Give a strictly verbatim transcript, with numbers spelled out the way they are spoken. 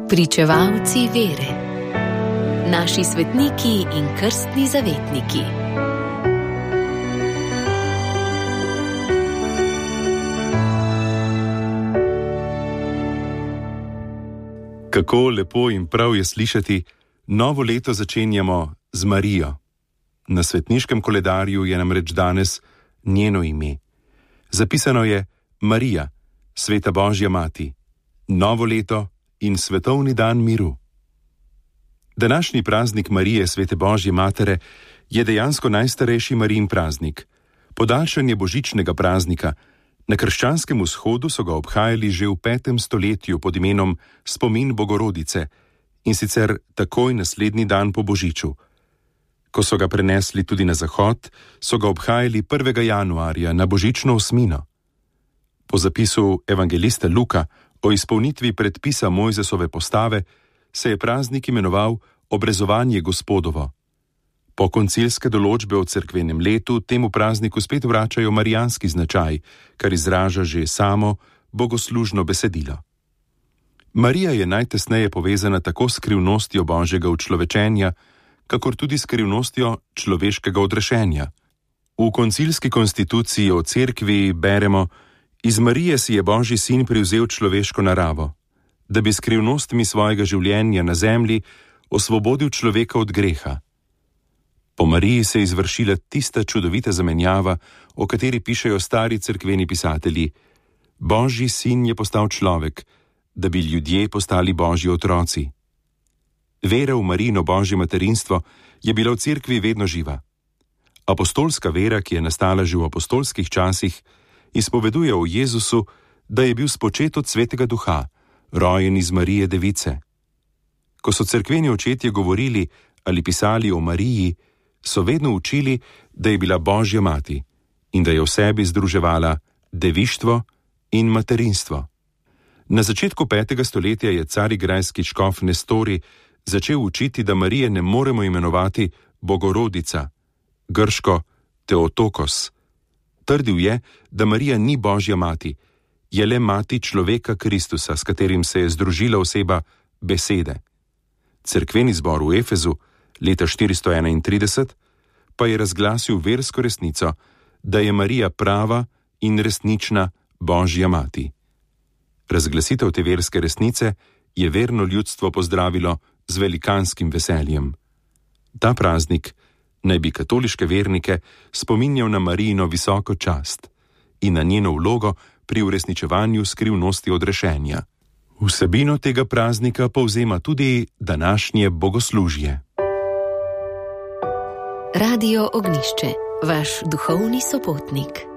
Pričevalci vere. Naši svetniki in krstni zavetniki. Kako lepo in prav je slišati, novo leto začenjamo z Marijo. Na svetniškem koledarju je namreč danes njeno ime. Zapisano je Marija, sveta Božja mati, novo leto in svetovni dan miru. Današnji praznik Marije, svete Božje matere, je dejansko najstarejši Marijin praznik. Podaljšanje božičnega praznika. Na krščanskem vzhodu so ga obhajali že v petem stoletju pod imenom Spomin Bogorodice, in sicer takoj naslednji dan po božiču. Ko so ga prenesli tudi na zahod, so ga obhajali prvega januarja na božično osmino. Po zapisu evangelista Luka o izpolnitvi predpisa Mojzesove postave se je praznik imenoval Obrezovanje Gospodovo. Po koncilske določbe o cerkvenem letu temu prazniku spet vračajo marijanski značaj, kar izraža že samo bogoslužno besedilo. Marija je najtesneje povezana tako s skrivnostjo Božjega učlovečenja, kakor tudi s skrivnostjo človeškega odrešenja. V koncilski konstituciji o cerkvi beremo: iz Marije si je Božji sin privzel človeško naravo, da bi skrivnostmi svojega življenja na zemlji osvobodil človeka od greha. Po Mariji se je izvršila tista čudovita zamenjava, o kateri pišejo stari cerkveni pisatelji: Božji sin je postal človek, da bi ljudje postali Božji otroci. Vera v Marijino Božje materinstvo je bila v cerkvi vedno živa. Apostolska vera, ki je nastala že v apostolskih časih, izpoveduje o Jezusu, da je bil spočet od Svetega Duha, rojen iz Marije Device. Ko so cerkveni očetje govorili ali pisali o Mariji, so vedno učili, da je bila Božja mati in da je v sebi združevala devištvo in materinstvo. Na začetku petega stoletja je carigrajski škof Nestori začel učiti, da Marije ne moremo imenovati Bogorodica, grško Teotokos. Trdil je, da Marija ni Božja mati, je le mati človeka Kristusa, s katerim se je združila oseba besede. Cerkveni zbor v Efezu leta štiristo enaintrideset pa je razglasil versko resnico, da je Marija prava in resnična Božja mati. Razglasitev te verske resnice je verno ljudstvo pozdravilo z velikanskim veseljem. Ta praznik naj bi katoliške vernike spominjal na Marijino visoko čast in na njeno vlogo pri uresničevanju skrivnosti odrešenja. Vsebino tega praznika povzema tudi današnje bogoslužje. Radio Ognjišče, vaš duhovni sopotnik.